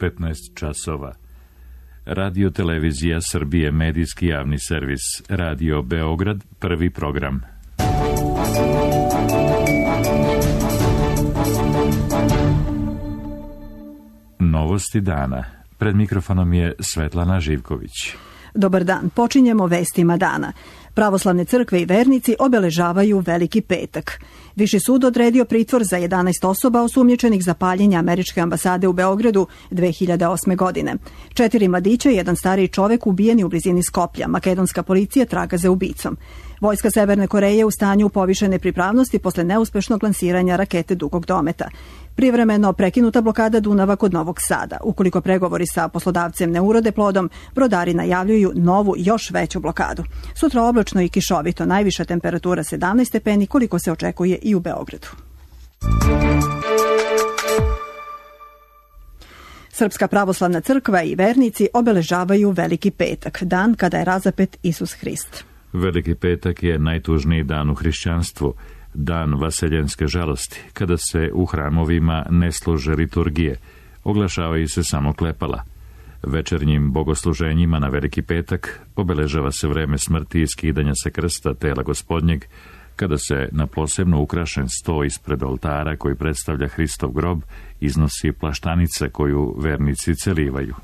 15 časova. Radio Televizija Srbije, medijski javni servis. Radio Beograd, prvi program. Novosti dana. Pred mikrofonom je Svetlana Živković. Dobar dan, počinjemo vestima dana. Pravoslavne crkve i vernici obeležavaju Veliki petak. Viši sud odredio pritvor za 11 osoba osumnjičenih za paljenje američke ambasade u Beogradu 2008. godine. 4 mladića i jedan stariji čovek ubijeni u blizini Skoplja. Makedonska policija traga za ubicom. Vojska Severne Koreje u stanju povišene pripravnosti posle neuspešnog lansiranja rakete dugog dometa. Privremeno prekinuta blokada Dunava kod Novog Sada. Ukoliko pregovori sa poslodavcem ne urode plodom, brodari najavljuju novu, još veću blokadu. Sutra oblačno i kišovito, najviša temperatura 17 stepeni, koliko se očekuje i u Beogradu. Srpska pravoslavna crkva i vernici obeležavaju Veliki petak, dan kada je razapet Isus Hrist. Veliki petak je najtužniji dan u hrišćanstvu, dan vaseljenske žalosti, kada se u hramovima ne služe liturgije, oglašavaju se samo klepala. Večernjim bogosluženjima na Veliki petak obeležava se vreme smrti i skidanja sa krsta tela Gospodnjeg, kada se na posebno ukrašen sto ispred oltara koji predstavlja Hristov grob iznosi plaštanica koju vernici celivaju.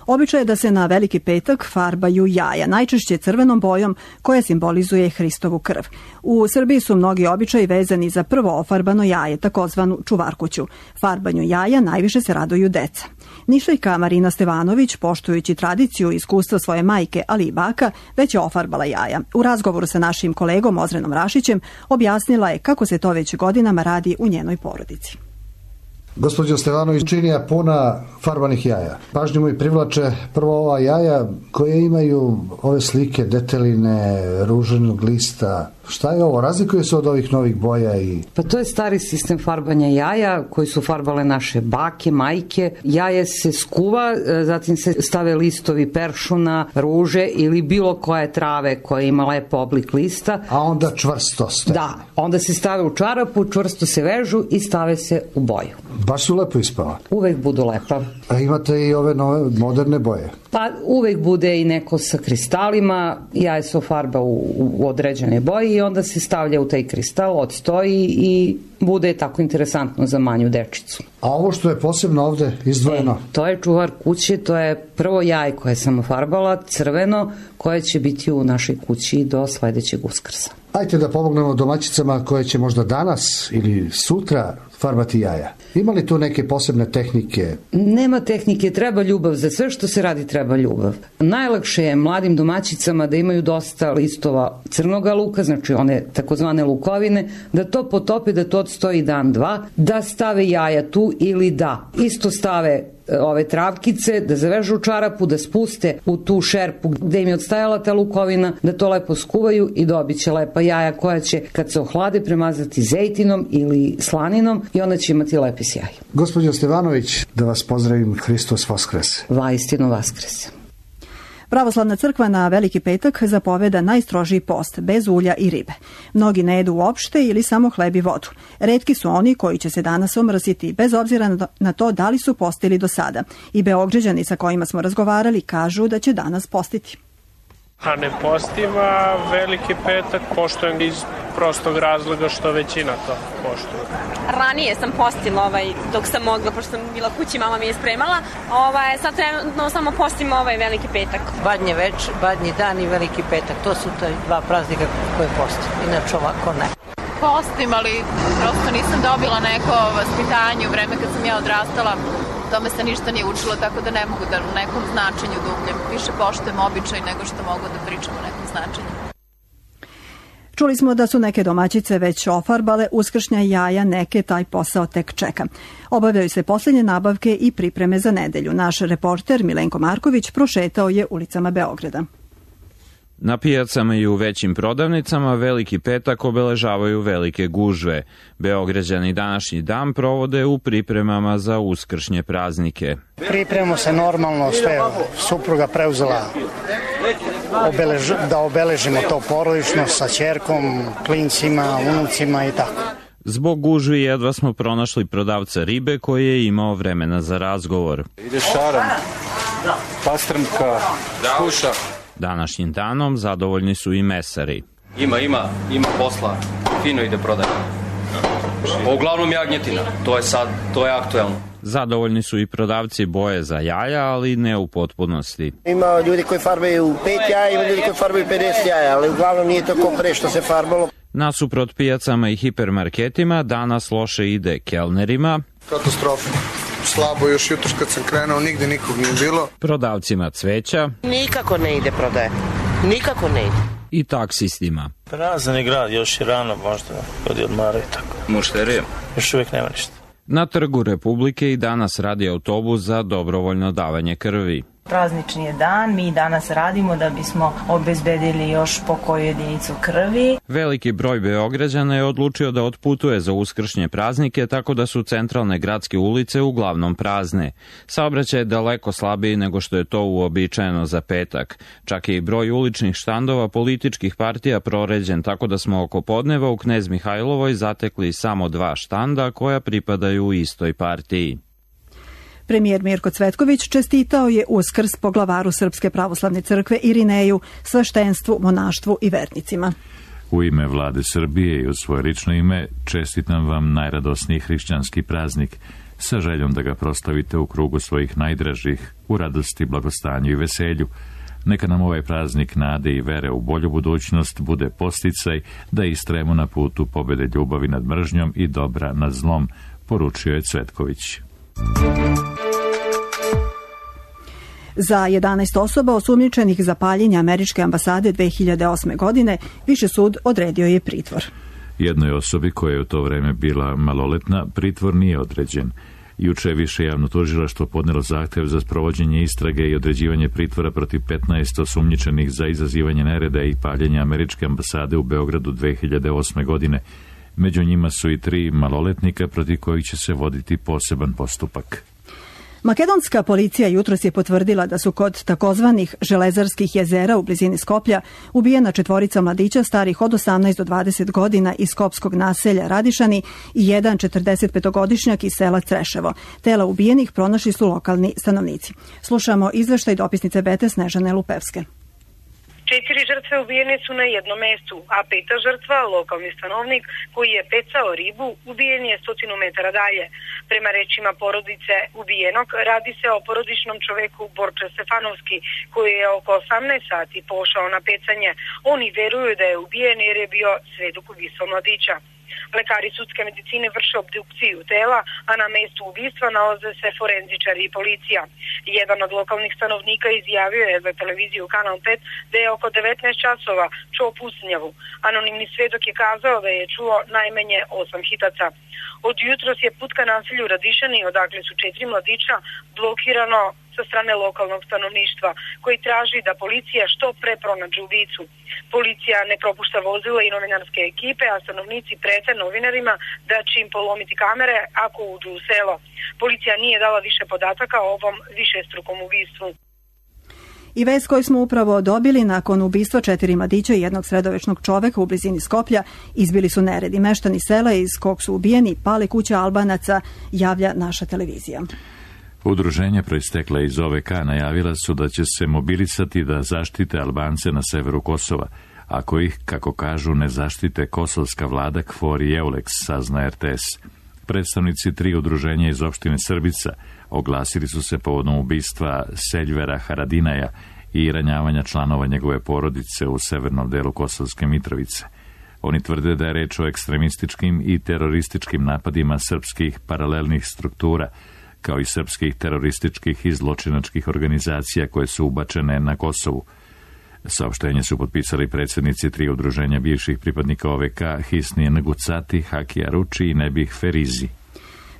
Običaj je da se na Veliki petak farbaju jaja, najčešće crvenom bojom koja simbolizuje Hristovu krv. U Srbiji su mnogi običaji vezani za prvo ofarbano jaje, takozvanu čuvarkuću. Farbanju jaja najviše se raduju deca. Nišlijka Marina Stevanović, poštujući tradiciju i iskustva svoje majke, ali i baka, već je ofarbala jaja. U razgovoru sa našim kolegom Ozrenom Rašićem objasnila je kako se to već godinama radi u njenoj porodici. Gospođo Stevanović, činija puna farbanih jaja. Pažnju mi privlače prvo ova jaja koje imaju ove slike deteline, ruženog lista. Šta je ovo? Razlikuje se od ovih novih boja? Pa to je stari sistem farbanja jaja koji su farbale naše bake, majke. Jaje se skuva, zatim se stave listovi peršuna, ruže ili bilo koje trave koja ima lep oblik lista. A onda čvrsto stane. Da, onda se stave u čarapu, čvrsto se vežu i stave se u boju. Baš su lepo ispala. Uvek budu lepa. A imate i ove nove moderne boje? Pa uvek bude i neko sa kristalima, jaje se ofarba u određene boje i onda se stavlja u taj kristal, odstoji i bude tako interesantno za manju dečicu. A ovo što je posebno ovde izdvojeno? To je čuvar kuće, to je prvo jaje koje sam ofarbala, crveno, koje će biti u našoj kući do sledećeg Uskrsa. Ajde da pomognemo domaćicama koje će možda danas ili sutra farbati jaja. Ima li tu neke posebne tehnike? Nema tehnike, treba ljubav. Za sve što se radi treba ljubav. Najlakše je mladim domaćicama da imaju dosta listova crnoga luka, znači one takozvane lukovine, da to potope, da to odstoji dan, dva, da stave jaja tu ili da isto stave ove travkice, da zavežu u čarapu, da spuste u tu šerpu gde im je odstajala ta lukovina, da to lepo skuvaju i dobit će lepa jaja koja će kad se ohlade premazati zejtinom ili slaninom i onda će imati lepi sjaj. Gospođo Stevanović, da vas pozdravim, Hristos Vaskrese. Vaistinu Vaskrese. Pravoslavna crkva na Veliki petak zapoveda najstrožiji post, bez ulja i ribe. Mnogi ne jedu uopšte ili samo hleb i vodu. Retki su oni koji će se danas omrsiti, bez obzira na to da li su postili do sada. I Beograđani sa kojima smo razgovarali kažu da će danas postiti. A ne postim, a Veliki petak poštujem iz prostog razloga što većina to poštuje. Ranije sam postila dok sam mogla, pošto sam bila kući, mama mi je spremala. Sad trenutno samo postim Veliki petak. Badnje večer, badnji dan i Veliki petak, to su te dva praznika koje postim, inače ovako ne. Postim, ali prosto nisam dobila neko vaspitanje u vreme kad sam ja odrastala. Tome se ništa nije učilo, tako da ne mogu da u nekom značenju dubljem. Više poštujem običaj nego što mogu da pričam o nekom značenju. Čuli smo da su neke domaćice već ofarbale uskršnja jaja, neke taj posao tek čeka. Obavljaju se posljednje nabavke i pripreme za nedelju. Naš reporter Milenko Marković prošetao je ulicama Beograda. Na pijacama i u većim prodavnicama Veliki petak obeležavaju velike gužve. Beograđani današnji dan provode u pripremama za uskršnje praznike. Pripremamo se normalno, sve supruga preuzela da obeležimo to porodično sa ćerkom, klincima, unucima i tako. Zbog gužvi jedva smo pronašli prodavca ribe koji je imao vremena za razgovor. Ide šaran, pastrmka, kuša. Današnjim danom zadovoljni su i mesari. Ima posla, fino ide prodaja. Uglavnom jagnjetina, to je aktuelno. Zadovoljni su i prodavci boje za jaja, ali ne u potpunosti. Ima ljudi koji farbaju 5 jaja, ima ljudi koji farbaju 50 jaja, ali uglavnom nije to ko pre što se farbalo. Nasuprot pijacama i hipermarketima danas loše ide kelnerima. Katastrofa. Slabo još jutros kad sam krenuo, nigde nikog nije bilo. Prodavcima cveća. Nikako ne ide prodaje. Nikako ne ide. I taksistima. Prazan je grad, još je rano, možda ljudi odmaraju tako. Mušterije? Još uvijek nema ništa. Na Trgu Republike i danas radi autobus za dobrovoljno davanje krvi. Praznični je dan, mi danas radimo da bismo obezbedili još po koju jedinicu krvi. Veliki broj Beograđana je odlučio da otputuje za uskršnje praznike, tako da su centralne gradske ulice uglavnom prazne. Saobraćaj je daleko slabiji nego što je to uobičajeno za petak. Čak je i broj uličnih štandova političkih partija proređen, tako da smo oko podneva u Knez Mihajlovoj zatekli samo 2 štanda koja pripadaju istoj partiji. Premijer Mirko Cvetković čestitao je Uskrs poglavaru Srpske pravoslavne crkve Irineju, sveštenstvu, monaštvu i vernicima. U ime vlade Srbije i u svoje lično ime čestitam vam najradosniji hrišćanski praznik sa željom da ga proslavite u krugu svojih najdražih, u radosti, blagostanju i veselju. Neka nam ovaj praznik nade i vere u bolju budućnost bude podsticaj da istrajemo na putu pobede ljubavi nad mržnjom i dobra nad zlom, poručio je Cvetković. Za 11 osoba osumnjičenih za paljenje američke ambasade 2008. godine Viši sud odredio je pritvor. Jednoj osobi koja je u to vreme bila maloletna pritvor nije određen. Juče je Više javno tužilaštvo podnelo zahtev za sprovođenje istrage i određivanje pritvora protiv 15 osumnjičenih za izazivanje nereda i paljenje američke ambasade u Beogradu 2008. godine. Među njima su i 3 maloletnika protiv kojih će se voditi poseban postupak. Makedonska policija jutros je potvrdila da su kod takozvanih Železarskih jezera u blizini Skoplja ubijena 4 mladića starih od 18 do 20 godina iz skopskog naselja Radišani i jedan 45-godišnjak iz sela Creševo. Tela ubijenih pronašli su lokalni stanovnici. Slušamo izveštaj dopisnice Bete Snežane Lupevske. 4 žrtve ubijene su na jednom mestu, a 5. žrtva, lokalni stanovnik koji je pecao ribu, ubijen je 100 metara dalje. Prema rečima porodice ubijenog, radi se o porodičnom čoveku Borče Stefanovski, koji je oko 18 sati pošao na pecanje. Oni veruju da je ubijen jer je bio svedok ubistva mladića. Lekari sudske medicine vrše obdukciju tela, a na mestu ubistva nalaze se forenzičari i policija. Jedan od lokalnih stanovnika izjavio je za televiziju Kanal 5 da je oko 19 časova čuo pucnjavu. Anonimni svedok je kazao da je čuo najmanje 8 hitaca. Od jutros je put ka naselju Radišani, odakle su 4 mladića, blokirano sa strane lokalnog stanovništva, koji traži da policija što pre pronađe ubicu. Policija ne propušta vozila i novinarske ekipe, a stanovnici prete novinarima da će im polomiti kamere ako uđu u selo. Policija nije dala više podataka o ovom višestrukom ubistvu. I vest koju smo upravo dobili nakon ubistva 4 mladića i jednog sredovečnog čoveka u blizini Skoplja, izbili su neredi. Meštani sela iz kog su ubijeni pale kuće Albanaca, javlja naša televizija. Udruženja proistekla iz OVK najavila su da će se mobilisati da zaštite Albance na severu Kosova, ako ih, kako kažu, ne zaštite kosovska vlada KFOR i EULEX, sazna RTS. Predstavnici 3 udruženja iz opštine Srbica oglasili su se povodom ubistva Seljvera Haradinaja i ranjavanja članova njegove porodice u severnom delu Kosovske Mitrovice. Oni tvrde da je reč o ekstremističkim i terorističkim napadima srpskih paralelnih struktura, kao i srpskih terorističkih i zločinačkih organizacija koje su ubačene na Kosovu. Saopštenje su potpisali predsjednici 3 udruženja bivših pripadnika OVK, Hisnije Ngucati, Hakija Ruči i Nebih Ferizi.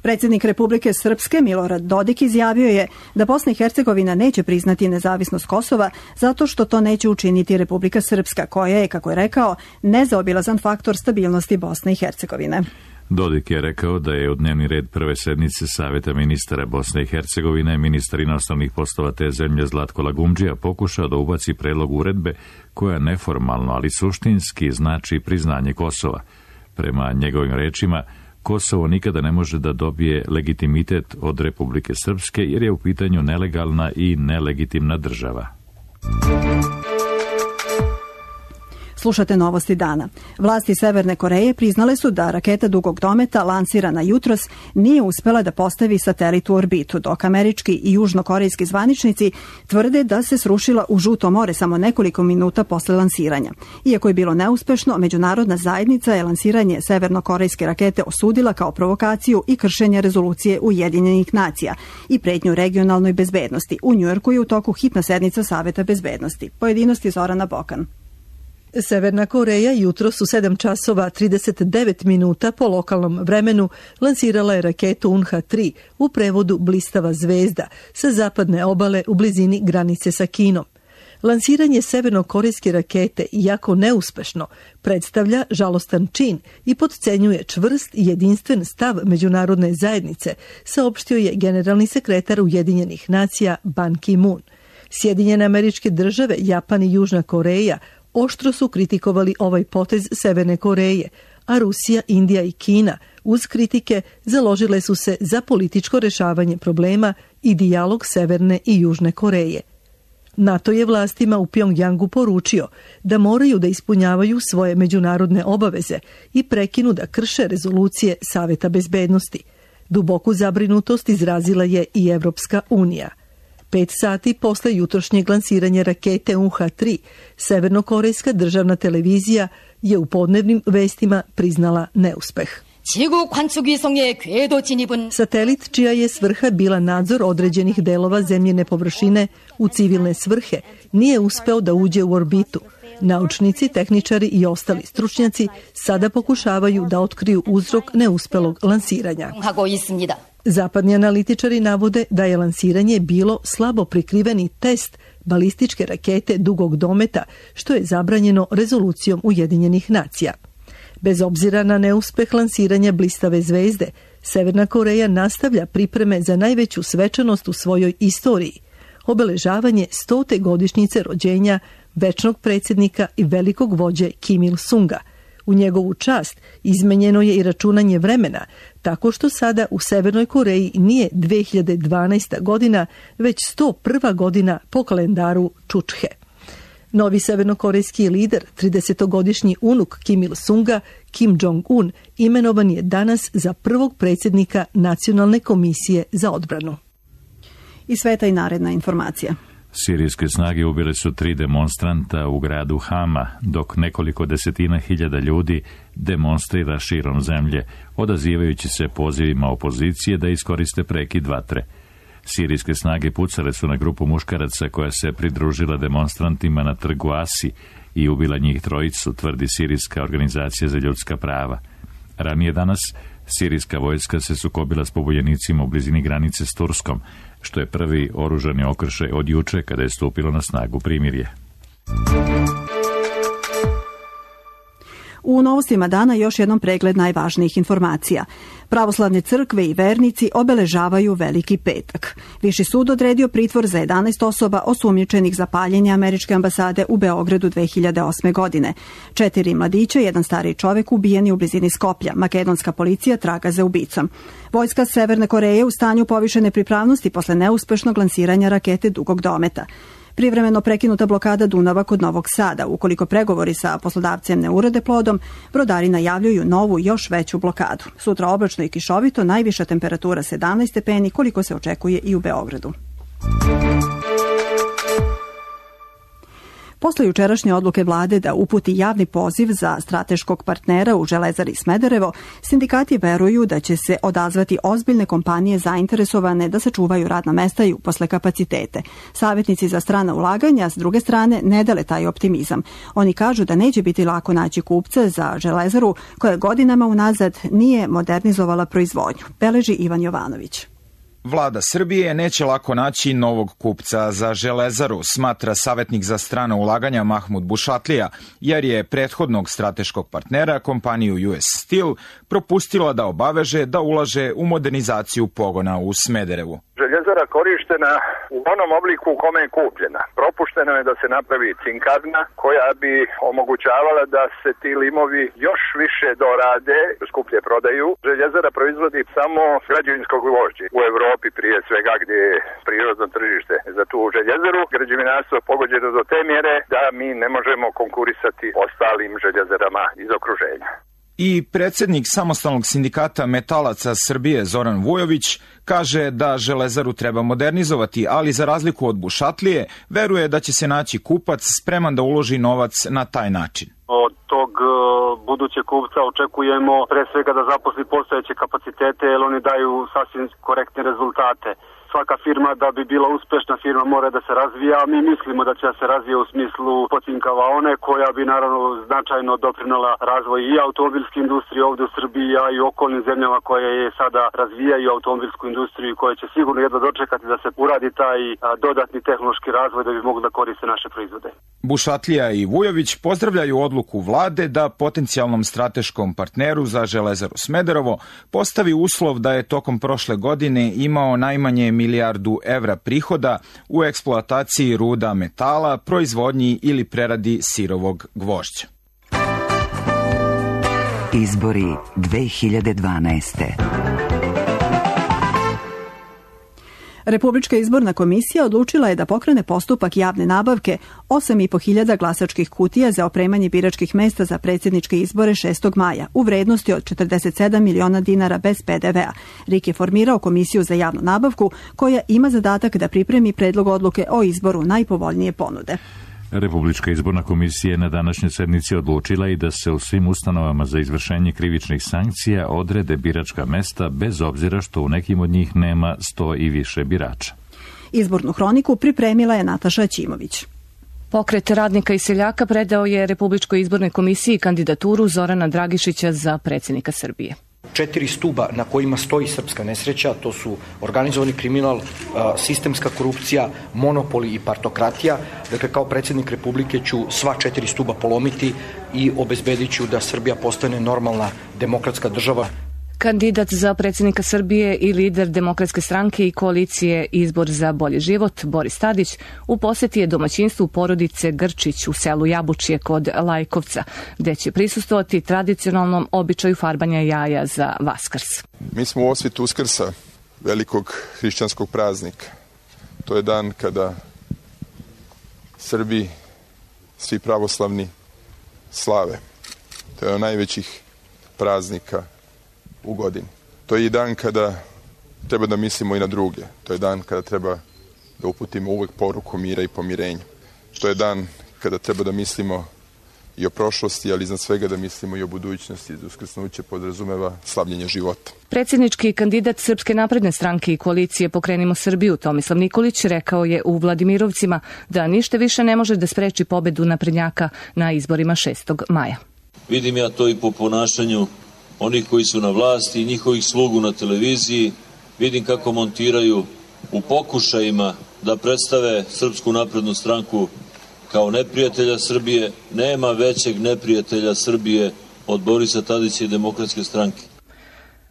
Predsjednik Republike Srpske Milorad Dodik izjavio je da Bosna i Hercegovina neće priznati nezavisnost Kosova zato što to neće učiniti Republika Srpska, koja je, kako je rekao, nezaobilazan faktor stabilnosti Bosne i Hercegovine. Dodik je rekao da je u dnevni red prve sednice Saveta ministara Bosne i Hercegovine ministar inostranih poslova te zemlje Zlatko Lagumdžija pokušao da ubaci predlog uredbe koja neformalno, ali suštinski znači priznanje Kosova. Prema njegovim rečima, Kosovo nikada ne može da dobije legitimitet od Republike Srpske jer je u pitanju nelegalna i nelegitimna država. Slušate novosti dana. Vlasti Severne Koreje priznale su da raketa dugog dometa lansirana jutros nije uspela da postavi satelit u orbitu, dok američki i južnokorejski zvaničnici tvrde da se srušila u Žuto more samo nekoliko minuta posle lansiranja. Iako je bilo neuspešno, međunarodna zajednica je lansiranje severnokorejske rakete osudila kao provokaciju i kršenje rezolucije Ujedinjenih nacija i pretnju regionalnoj bezbednosti. U Njujorku je u toku hitna sednica Saveta bezbednosti. Pojedinosti Zorana Bokan. Severna Koreja jutros u 7 časova 39 minuta po lokalnom vremenu lansirala je raketu Unha-3, u prevodu blistava zvezda, sa zapadne obale u blizini granice sa Kinom. Lansiranje severnokorejske rakete, iako neuspešno, predstavlja žalostan čin i potcenjuje čvrst i jedinstven stav međunarodne zajednice, saopštio je generalni sekretar Ujedinjenih nacija Ban Ki-moon. Sjedinjene Američke Države, Japan i Južna Koreja oštro su kritikovali ovaj potez Severne Koreje, a Rusija, Indija i Kina uz kritike založile su se za političko rešavanje problema i dijalog Severne i Južne Koreje. NATO je vlastima u Pjongjangu poručio da moraju da ispunjavaju svoje međunarodne obaveze i prekinu da krše rezolucije Saveta bezbednosti. Duboku zabrinutost izrazila je i Evropska unija. 5 sati posle jutrošnjeg lansiranja rakete Unha-3, severnokorejska državna televizija je u podnevnim vestima priznala neuspeh. Satelit, čija je svrha bila nadzor određenih delova zemljine površine u civilne svrhe, nije uspeo da uđe u orbitu. Naučnici, tehničari i ostali stručnjaci sada pokušavaju da otkriju uzrok neuspelog lansiranja. Zapadni analitičari navode da je lansiranje bilo slabo prikriveni test balističke rakete dugog dometa, što je zabranjeno rezolucijom Ujedinjenih nacija. Bez obzira na neuspeh lansiranja blistave zvezde, Severna Koreja nastavlja pripreme za najveću svečanost u svojoj istoriji, obeležavanje 100. godišnjice rođenja večnog predsjednika i velikog vođe Kim Il-sunga. U njegovu čast izmenjeno je i računanje vremena, tako što sada u Severnoj Koreji nije 2012. godina, već 101. godina po kalendaru Čučhe. Novi severnokorejski lider, 30-godišnji unuk Kim Il-sunga, Kim Jong-un, imenovan je danas za prvog predsjednika Nacionalne komisije za odbranu. I sveta i naredna informacija. Sirijske snage ubile su 3 demonstranta u gradu Hama, dok nekoliko desetina hiljada ljudi demonstrira širom zemlje, odazivajući se pozivima opozicije da iskoriste prekid vatre. Sirijske snage pucale su na grupu muškaraca koja se pridružila demonstrantima na trgu Asi i ubila njih 3, tvrdi Sirijska organizacija za ljudska prava. Ranije danas sirijska vojska se sukobila s pobunjenicima u blizini granice s Turskom, što je prvi oružani okršaj od juče kada je stupilo na snagu primirje. U novostima dana još jednom pregled najvažnijih informacija. Pravoslavne crkve i vernici obeležavaju Veliki petak. Viši sud odredio pritvor za 11 osoba osumnjičenih za paljenje američke ambasade u Beogradu 2008. godine. 4 mladića i 1 stariji čovek ubijeni u blizini Skoplja. Makedonska policija traga za ubicom. Vojska Severne Koreje u stanju povišene pripravnosti posle neuspešnog lansiranja rakete dugog dometa. Privremeno prekinuta blokada Dunava kod Novog Sada. Ukoliko pregovori sa poslodavcem ne urode plodom, brodari najavljuju novu, još veću blokadu. Sutra oblačno i kišovito, najviša temperatura 17 stepeni, koliko se očekuje i u Beogradu. Posle jučerašnje odluke vlade da uputi javni poziv za strateškog partnera u Železari Smederevo, sindikati veruju da će se odazvati ozbiljne kompanije zainteresovane da sačuvaju radna mesta i uposle kapacitete. Savjetnici za strana ulaganja, s druge strane, ne dele taj optimizam. Oni kažu da neće biti lako naći kupca za Železaru, koja godinama unazad nije modernizovala proizvodnju, beleži Ivan Jovanović. Vlada Srbije neće lako naći novog kupca za Železaru, smatra savjetnik za strana ulaganja Mahmud Bušatlija, jer je prethodnog strateškog partnera, kompaniju US Steel, propustila da obaveže da ulaže u modernizaciju pogona u Smederevu. Željezara željezara korištena u onom obliku u kome je kupljena. Propušteno je da se napravi cinkarna koja bi omogućavala da se ti limovi još više dorade, skuplje prodaju. Željezara proizvodi samo građevinsko gvožđe. U Evropi prije svega gdje je prirodno tržište za tu željezaru, građevinarstvo je pogođeno do te mjere da mi ne možemo konkurisati ostalim željezarama iz okruženja. I predsjednik samostalnog sindikata metalaca Srbije Zoran Vujović kaže da železaru treba modernizovati, ali za razliku od Bušatlije, veruje da će se naći kupac spreman da uloži novac na taj način. Od tog budućeg kupca očekujemo pre svega da zaposli postojeće kapacitete, jer oni daju sasvim korektne rezultate. Svaka firma da bi bila uspešna firma mora da se razvija, a mi mislimo da će se razvija u smislu potinkavaone koja bi naravno značajno doprinela razvoj i automobilske industrije ovdje u Srbiji, a i u okolnim zemljama koje je sada razvijaju automobilsku industriju i koje će sigurno jedno dočekati da se uradi taj dodatni tehnološki razvoj da bi mogli da koriste naše proizvode. Bušatlija i Vujović pozdravljaju odluku vlade da potencijalnom strateškom partneru za Železaru Smederevo postavi uslov da je tokom prošle godine imao najmanje $1 milijardu prihoda u eksploataciji ruda metala, proizvodnji ili preradi sirovog gvožđa. Izbori 2012. Republička izborna komisija odlučila je da pokrene postupak javne nabavke 8.500 glasačkih kutija za opremanje biračkih mesta za predsjedničke izbore 6. maja u vrednosti od 47 miliona dinara bez PDV-a. RIK je formirao komisiju za javnu nabavku koja ima zadatak da pripremi predlog odluke o izboru najpovoljnije ponude. Republička izborna komisija je na današnjoj sednici odlučila i da se u svim ustanovama za izvršenje krivičnih sankcija odrede biračka mesta bez obzira što u nekim od njih nema 100 i više birača. Izbornu hroniku pripremila je Nataša Ćimović. Pokret radnika i seljaka predao je Republičkoj izbornoj komisiji kandidaturu Zorana Dragišića za predsjednika Srbije. 4 stuba na kojima stoji srpska nesreća, to su organizovani kriminal, sistemska korupcija, monopoli i partokratija. Dakle, kao predsjednik Republike ću sva 4 stuba polomiti i obezbedit ću da Srbija postane normalna demokratska država. Kandidat za predsjednika Srbije i lider Demokratske stranke i koalicije Izbor za bolji život, Boris Tadić, u posjeti je domaćinstvu porodice Grčić u selu Jabučje kod Lajkovca, gdje će prisustvovati tradicionalnom običaju farbanja jaja za Vaskrs. Mi smo u osvitu Uskrsa, velikog hrišćanskog praznika. To je dan kada Srbi, svi pravoslavni, slave. To je od najvećih praznika u godini. To je i dan kada treba da mislimo i na druge. To je dan kada treba da uputimo uvek poruku mira i pomirenja. To je dan kada treba da mislimo i o prošlosti, ali iznad svega da mislimo i o budućnosti. Uskrsnuće podrazumeva slavljenje života. Predsjednički kandidat Srpske napredne stranke i koalicije Pokrenimo Srbiju, Tomislav Nikolić, rekao je u Vladimirovcima da ništa više ne može da spreči pobedu naprednjaka na izborima 6. maja. Vidim ja to i po ponašanju onih koji su na vlasti i njihovih slugu na televiziji. Vidim kako montiraju u pokušajima da predstave Srpsku naprednu stranku kao neprijatelja Srbije. Nema većeg neprijatelja Srbije od Borisa Tadića i Demokratske stranke.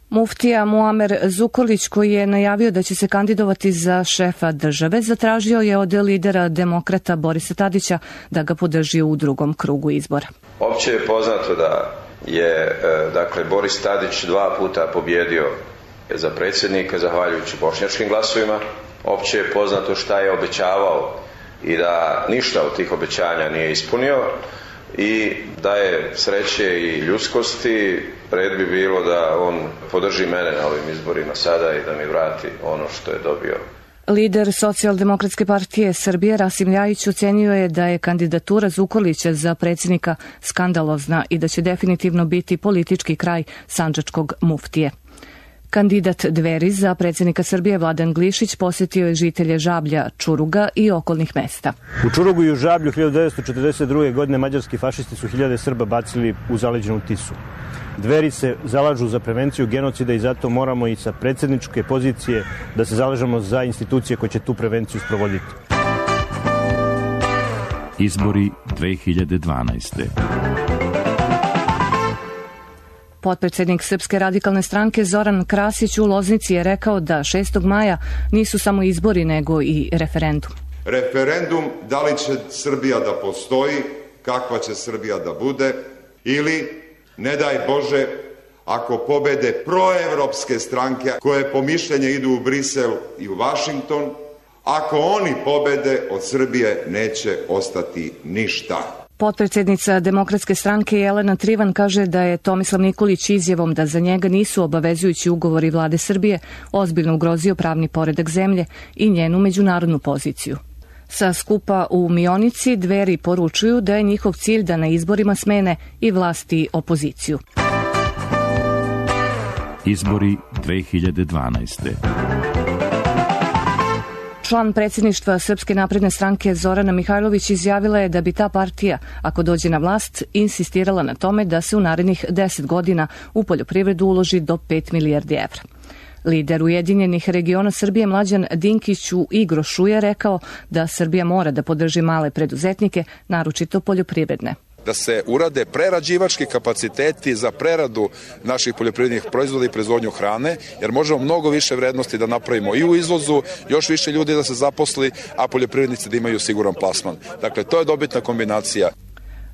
Muftija Muamer Zukorlić, koji je najavio da će se kandidovati za šefa države, zatražio je od lidera demokrata Borisa Tadića da ga podrži u drugom krugu izbora. Opće je poznato da je Boris Tadić 2 puta pobjedio za predsjednika zahvaljujući bošnjačkim glasovima. Opće je poznato šta je obećavao i da ništa od tih obećanja nije ispunio i da je sreće i ljudskosti, red bi bilo da on podrži mene na ovim izborima sada i da mi vrati ono što je dobio. Lider Socijaldemokratske partije Srbije Rasim Ljajić ocenio je da je kandidatura Zukorlića za predsjednika skandalozna i da će definitivno biti politički kraj sandžačkog muftije. Kandidat Dveri za predsjednika Srbije Vladan Glišić posjetio je žitelje Žablja, Čuruga i okolnih mesta. U Čurugu i u Žablju 1942. godine mađarski fašisti su hiljade Srba bacili u zaleđenu Tisu. Dveri se zalažu za prevenciju genocida i zato moramo i sa predsjedničke pozicije da se zalažemo za institucije koje će tu prevenciju sprovoditi. Izbori 2012. Potpredsjednik Srpske radikalne stranke Zoran Krasić u Loznici je rekao da 6. maja nisu samo izbori nego i referendum. Referendum da li će Srbija da postoji, kakva će Srbija da bude ili, ne daj Bože, ako pobede proevropske stranke koje po mišljenju idu u Brisel i u Vašington, ako oni pobede, od Srbije neće ostati ništa. Potpredsjednica Demokratske stranke Jelena Trivan kaže da je Tomislav Nikolić izjavom da za njega nisu obavezujući ugovori vlade Srbije ozbiljno ugrozio pravni poredak zemlje i njenu međunarodnu poziciju. Sa skupa u Mionici Dveri poručuju da je njihov cilj da na izborima smene i vlast i opoziciju. Izbori 2012. Član predsjedništva Srpske napredne stranke Zorana Mihajlović izjavila je da bi ta partija, ako dođe na vlast, insistirala na tome da se u narednih 10 godina u poljoprivredu uloži do 5 milijardi evra. Lider Ujedinjenih regiona Srbije Mlađan Dinkić u Igrošu je rekao da Srbija mora da podrži male preduzetnike, naročito poljoprivredne. Da se urade prerađivački kapaciteti za preradu naših poljoprivrednih proizvoda i proizvodnju hrane, jer možemo mnogo više vrednosti da napravimo i u izvozu, još više ljudi da se zaposli, a poljoprivrednici da imaju siguran plasman. Dakle, to je dobitna kombinacija.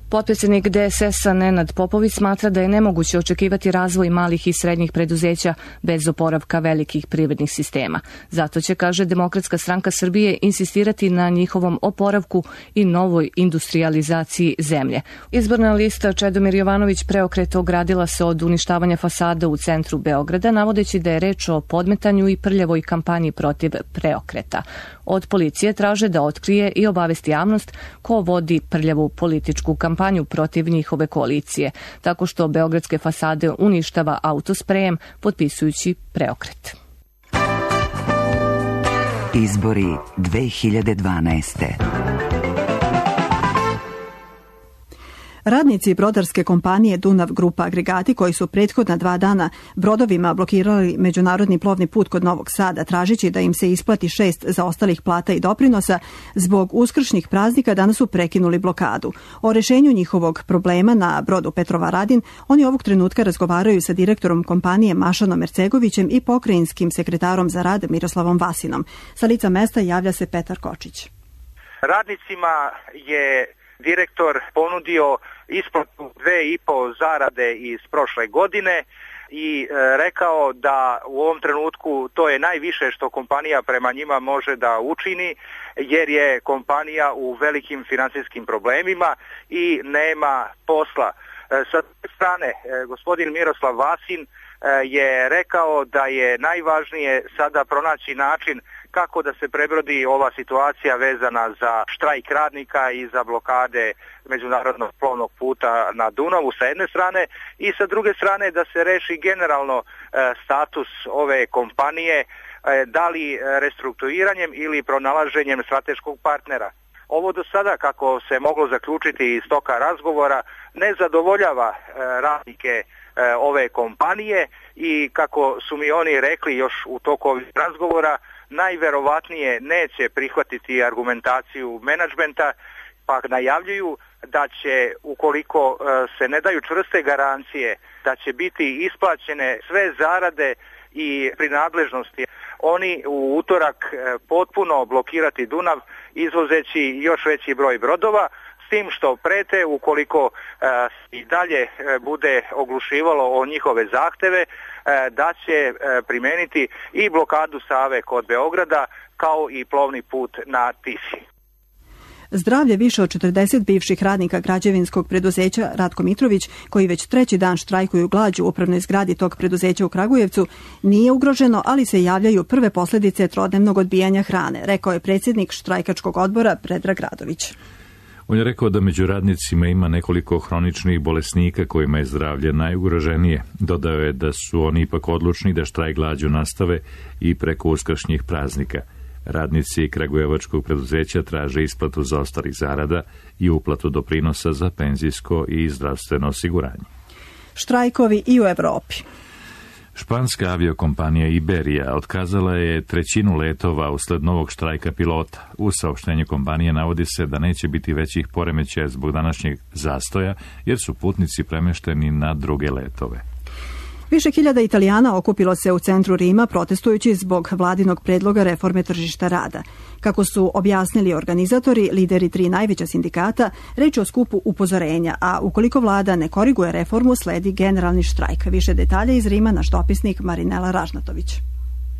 Potpredsjednik DSS-a Nenad Popović smatra da je nemoguće očekivati razvoj malih i srednjih preduzeća bez oporavka velikih privrednih sistema. Zato će, kaže Demokratska stranka Srbije, insistirati na njihovom oporavku i novoj industrijalizaciji zemlje. Izborna lista Čedomir Jovanović Preokret ogradila se od uništavanja fasada u centru Beograda, navodeći da je reč o podmetanju i prljavoj kampanji protiv Preokreta. Od policije traže da otkrije i obavesti javnost ko vodi prljavu političku kampanju protiv njihove koalicije, tako što beogradske fasade uništava autosprejem, potpisujući Preokret. Izbori 2012. Radnici brodarske kompanije Dunav Grupa Agregati, koji su prethodna 2 dana brodovima blokirali međunarodni plovni put kod Novog Sada, tražići da im se isplati 6 zaostalih plata i doprinosa, zbog uskršnjih praznika danas su prekinuli blokadu. O rešenju njihovog problema na brodu Petrovaradin oni ovog trenutka razgovaraju sa direktorom kompanije Mašanom Ercegovićem i pokrajinskim sekretarom za rad Miroslavom Vasinom. Sa lica mesta javlja se Petar Kočić. Radnicima je direktor ponudio isplatu 2,5 zarade iz prošle godine i rekao da u ovom trenutku to je najviše što kompanija prema njima može da učini, jer je kompanija u velikim finansijskim problemima i nema posla. Sa te strane, gospodin Miroslav Vasin je rekao da je najvažnije sada pronaći način kako da se prebrodi ova situacija vezana za štrajk radnika i za blokade međunarodnog plovnog puta na Dunavu sa jedne strane i sa druge strane da se reši generalno status ove kompanije, da li restrukturiranjem ili pronalaženjem strateškog partnera. Ovo do sada, kako se moglo zaključiti iz toka razgovora, ne zadovoljava radnike ove kompanije i kako su mi oni rekli još u toku ovih razgovora, najverovatnije neće prihvatiti argumentaciju menadžmenta, pa najavljuju da će, ukoliko se ne daju čvrste garancije, da će biti isplaćene sve zarade i prinadležnosti. Oni u utorak potpuno blokirati Dunav, izvozeći još veći broj brodova, s tim što prete, ukoliko i dalje bude oglušivalo o njihove zahteve, da će primeniti i blokadu Save kod Beograda, kao i plovni put na Tisi. Zdravlje više od 40 bivših radnika građevinskog preduzeća Ratko Mitrović, koji već 3. dan štrajkuju glađu u upravnoj zgradi tog preduzeća u Kragujevcu, nije ugroženo, ali se javljaju prve posljedice trodnevnog odbijanja hrane, rekao je predsjednik štrajkačkog odbora Predrag Radović. On je rekao da među radnicima ima nekoliko hroničnih bolesnika kojima je zdravlje najugroženije. Dodao je da su oni ipak odlučni da štrajk glađu nastave i preko uskršnjih praznika. Radnici kragujevačkog preduzeća traže isplatu zaostalih zarada i uplatu doprinosa za penzijsko i zdravstveno osiguranje. Štrajkovi i u Evropi. Španska aviokompanija Iberija otkazala je 1/3 letova usled novog štrajka pilota. U saopštenju kompanije navodi se da neće biti većih poremećaja zbog današnjeg zastoja, jer su putnici premešteni na druge letove. Više hiljada Italijana okupilo se u centru Rima protestujući zbog vladinog predloga reforme tržišta rada. Kako su objasnili organizatori, lideri 3 najveća sindikata, reč je o skupu upozorenja, a ukoliko vlada ne koriguje reformu, sledi generalni štrajk. Više detalja iz Rima naš dopisnik Marinela Ražnatović.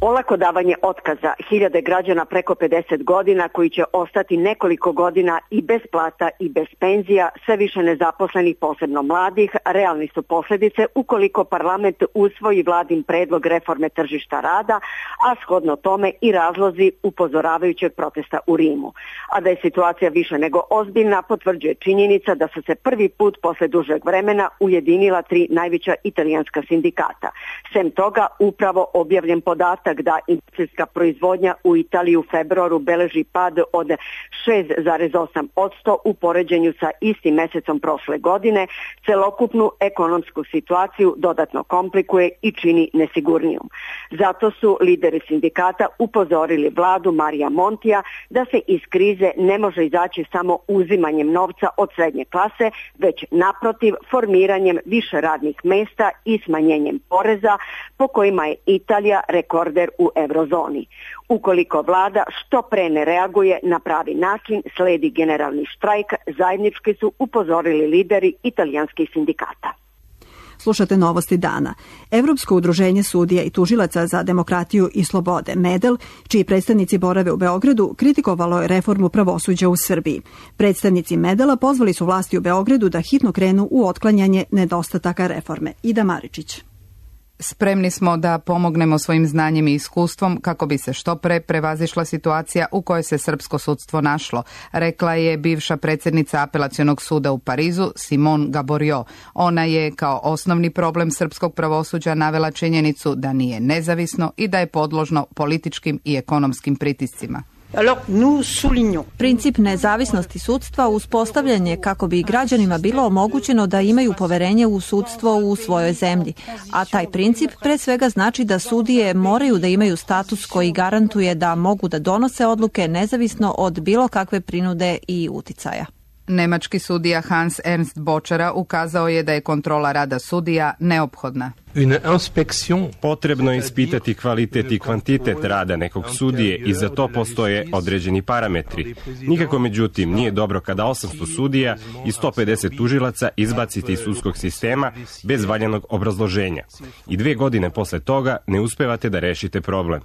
Olako davanje otkaza hiljade građana preko 50 godina koji će ostati nekoliko godina i bez plata i bez penzija, sve više nezaposlenih, posebno mladih, realni su posljedice ukoliko parlament usvoji vladin predlog reforme tržišta rada, a shodno tome i razlozi upozoravajućeg protesta u Rimu. A da je situacija više nego ozbiljna potvrđuje činjenica da su se prvi put posle dužeg vremena ujedinila 3 najveća italijanska sindikata. Sem toga, upravo objavljen podatak da industrijska proizvodnja u Italiji u februaru beleži pad od 6,8% u poređenju sa istim mesecom prošle godine, celokupnu ekonomsku situaciju dodatno komplikuje i čini nesigurnijom. Zato su lideri sindikata upozorili vladu Marija Montija da se iz krize ne može izaći samo uzimanjem novca od srednje klase, već naprotiv formiranjem više radnih mesta i smanjenjem poreza po kojima je Italija rekorder u eurozoni. Ukoliko vlada što pre ne reaguje na pravi način, sledi generalni štrajk, zajednički su upozorili lideri italijanskih sindikata. Slušate novosti dana. Evropsko udruženje sudija i tužilaca za demokratiju i slobode, MEDEL, čiji predstavnici borave u Beogradu, kritikovalo je reformu pravosuđa u Srbiji. Predstavnici MEDEL-a pozvali su vlasti u Beogradu da hitno krenu u otklanjanje nedostataka reforme. Ida Maričić. Spremni smo da pomognemo svojim znanjem i iskustvom kako bi se što pre prevazišla situacija u kojoj se srpsko sudstvo našlo, rekla je bivša predsjednica Apelacionog suda u Parizu, Simone Gaborio. Ona je kao osnovni problem srpskog pravosuđa navela činjenicu da nije nezavisno i da je podložno političkim i ekonomskim pritiscima. Princip nezavisnosti sudstva uspostavljen je kako bi građanima bilo omogućeno da imaju poverenje u sudstvo u svojoj zemlji, a taj princip pre svega znači da sudije moraju da imaju status koji garantuje da mogu da donose odluke nezavisno od bilo kakve prinude i uticaja. Nemački sudija Hans Ernst Bočara ukazao je da je kontrola rada sudija neophodna. Potrebno je ispitati kvalitet i kvantitet rada nekog sudije i za to postoje određeni parametri. Nikako međutim nije dobro kada 800 sudija i 150 tužilaca izbacite iz sudskog sistema bez valjanog obrazloženja. I 2 godine posle toga ne uspevate da rešite problem.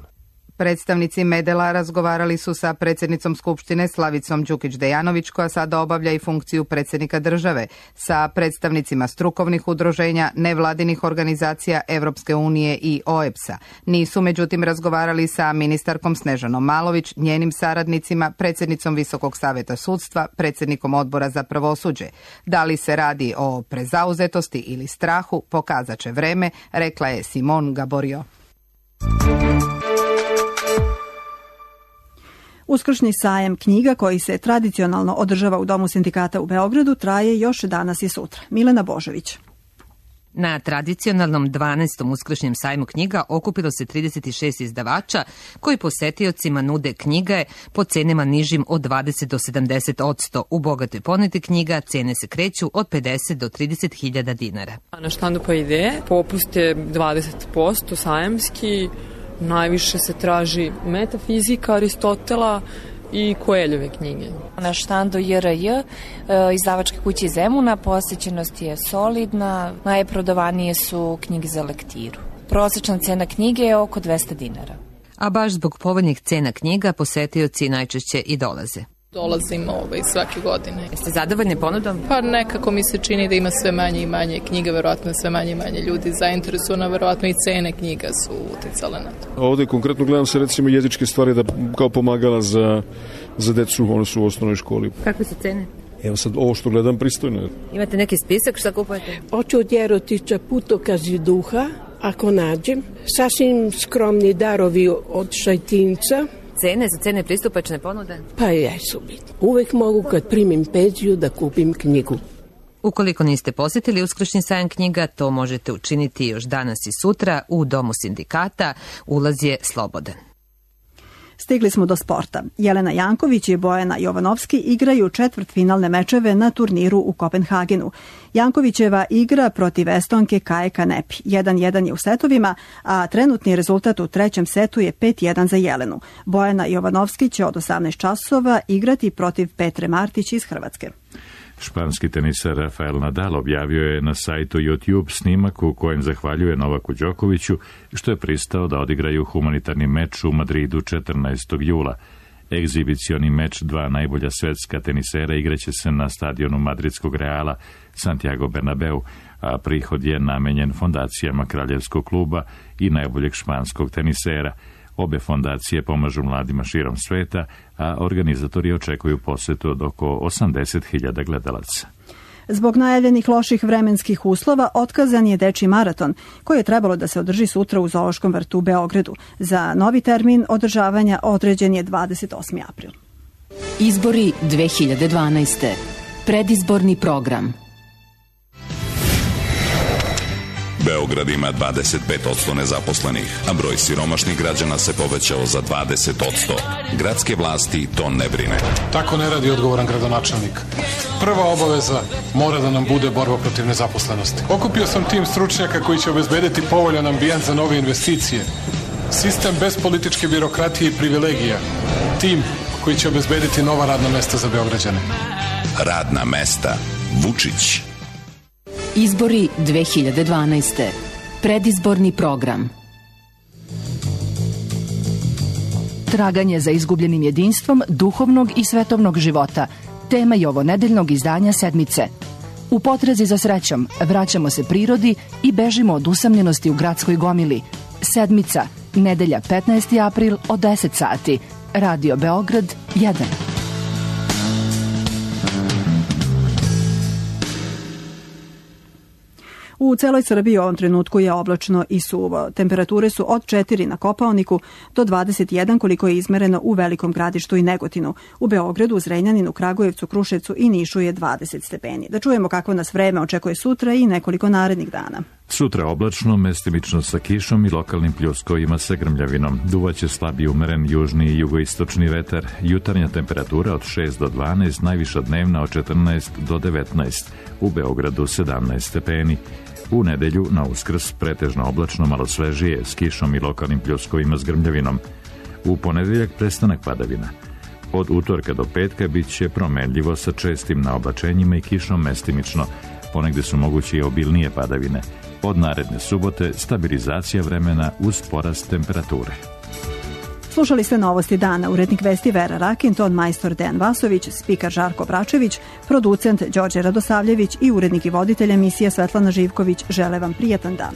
Predstavnici MEDEL-a razgovarali su sa predsjednicom Skupštine Slavicom Đukić-Dejanović, koja sada obavlja i funkciju predsjednika države, sa predstavnicima strukovnih udruženja, nevladinih organizacija Evropske unije i OEBS-a. Nisu međutim razgovarali sa ministarkom Snežanom Malović, njenim saradnicima, predsjednicom Visokog saveta sudstva, predsjednikom odbora za pravosuđe. Da li se radi o prezauzetosti ili strahu, pokazat će vreme, rekla je Simone Gaborio. Uskršnji sajam knjiga koji se tradicionalno održava u Domu sindikata u Beogradu traje još danas i sutra. Milena Božović. Na tradicionalnom 12. uskršnjem sajmu knjiga okupilo se 36 izdavača koji posetiocima nude knjige po cenama nižim od 20 do 70%. U bogatoj ponudi knjiga cene se kreću od 50 do 30.000 dinara. Na štandu pa ide, popust je 20% sajamski. Najviše se traži metafizika Aristotela i Koeljeve knjige. Na štandu JRJ, izdavačke kuće Zemuna, posjećenost je solidna, najprodavanije su knjige za lektiru. Prosječna cena knjige je oko 200 dinara. A baš zbog povoljnih cena knjiga posetioci najčešće i dolaze. Dolazim svake godine. Jeste zadovoljni ponudom? Pa nekako mi se čini da ima sve manje i manje knjiga, verovatno sve manje i manje ljudi zainteresovano, verovatno i cene knjiga su uticale na to. Ovde konkretno gledam se recimo jezičke stvari da kao pomagala za decu, one su u osnovnoj školi. Kakve su cene? Evo sad, ovo što gledam pristojno. Imate neki spisak šta kupujete? Hoću od Jerotića Putokazi duha, ako nađem. Sasvim skromni darovi od Šajtinca. Cene za cene pristupačne ponude? Pa jesu bitno. Uvek mogu kad primim penziju da kupim knjigu. Ukoliko niste posjetili uskršnji sajam knjiga, to možete učiniti još danas i sutra u Domu sindikata. Ulaz je slobodan. Stigli smo do sporta. Jelena Janković i Bojana Jovanovski igraju četvrtfinalne mečeve na turniru u Kopenhagenu. Jankovićeva igra protiv Estonke Kaje Kanepi. 1-1 je u setovima, a trenutni rezultat u trećem setu je 5-1 za Jelenu. Bojana Jovanovski će od 18 časova igrati protiv Petre Martić iz Hrvatske. Španski teniser Rafael Nadal objavio je na sajtu YouTube snimak u kojem zahvaljuje Novaku Đokoviću što je pristao da odigraju humanitarni meč u Madridu 14. jula. Egzibicioni meč dva najbolja svetska tenisera igraće se na stadionu madridskog Reala Santiago Bernabeu, a prihod je namenjen fondacijama Kraljevskog kluba i najboljeg španskog tenisera. Obe fondacije pomažu mladima širom sveta, a organizatori očekuju posetu od oko 80.000 gledalaca. Zbog najavljenih loših vremenskih uslova otkazan je dečji maraton, koji je trebalo da se održi sutra u Zoološkom vrtu u Beogradu. Za novi termin održavanja određen je 28. april. Izbori 2012. Predizborni program. Beograd ima 25% nezaposlenih, a broj siromašnih građana se povećao za 20%. Gradske vlasti to ne brine. Tako ne radi odgovoran gradonačelnik. Prva obaveza mora da nam bude borba protiv nezaposlenosti. Okupio sam tim stručnjaka koji će obezbediti povoljan ambijent za nove investicije. Sistem bez političke birokratije i privilegija. Tim koji će obezbediti nova radna mesta za Beograđane. Radna mesta. Vučić. Izbori 2012. Predizborni program. Traganje za izgubljenim jedinstvom duhovnog i svetovnog života. Tema je ovonedeljnog izdanja Sedmice. U potrazi za srećom vraćamo se prirodi i bežimo od usamljenosti u gradskoj gomili. Sedmica, nedelja 15. april od 10 sati. Radio Beograd 1. U celoj Srbiji u ovom trenutku je oblačno i suvo. Temperature su od 4 na Kopaoniku do 21 koliko je izmereno u Velikom Gradištu i Negotinu. U Beogradu, Zrenjaninu, Kragujevcu, Kruševcu i Nišu je 20 stepeni. Da čujemo kako nas vreme očekuje sutra i nekoliko narednih dana. Sutra oblačno, mestimično sa kišom i lokalnim pljuskovima sa grmljavinom. Duvaće slab i umeren južni i jugoistočni vetar. Jutarnja temperatura od 6 do 12, najviša dnevna od 14 do 19. U Beogradu 17 stepeni. U nedelju na Uskrs pretežno oblačno, malo svežije, s kišom i lokalnim pljuskovima s grmljavinom. U ponedeljak prestanak padavina. Od utorka do petka bit će promenljivo sa čestim naoblačenjima i kišom mestimično. Ponegde su moguće i obilnije padavine. Od naredne subote stabilizacija vremena uz porast temperature. Slušali ste Novosti dana, urednik vesti Vera Rakin, ton majstor Dejan Vasović, spikar Žarko Bračević, producent Đorđe Radosavljević i urednik i voditelj emisije Svetlana Živković. Žele vam prijatan dan.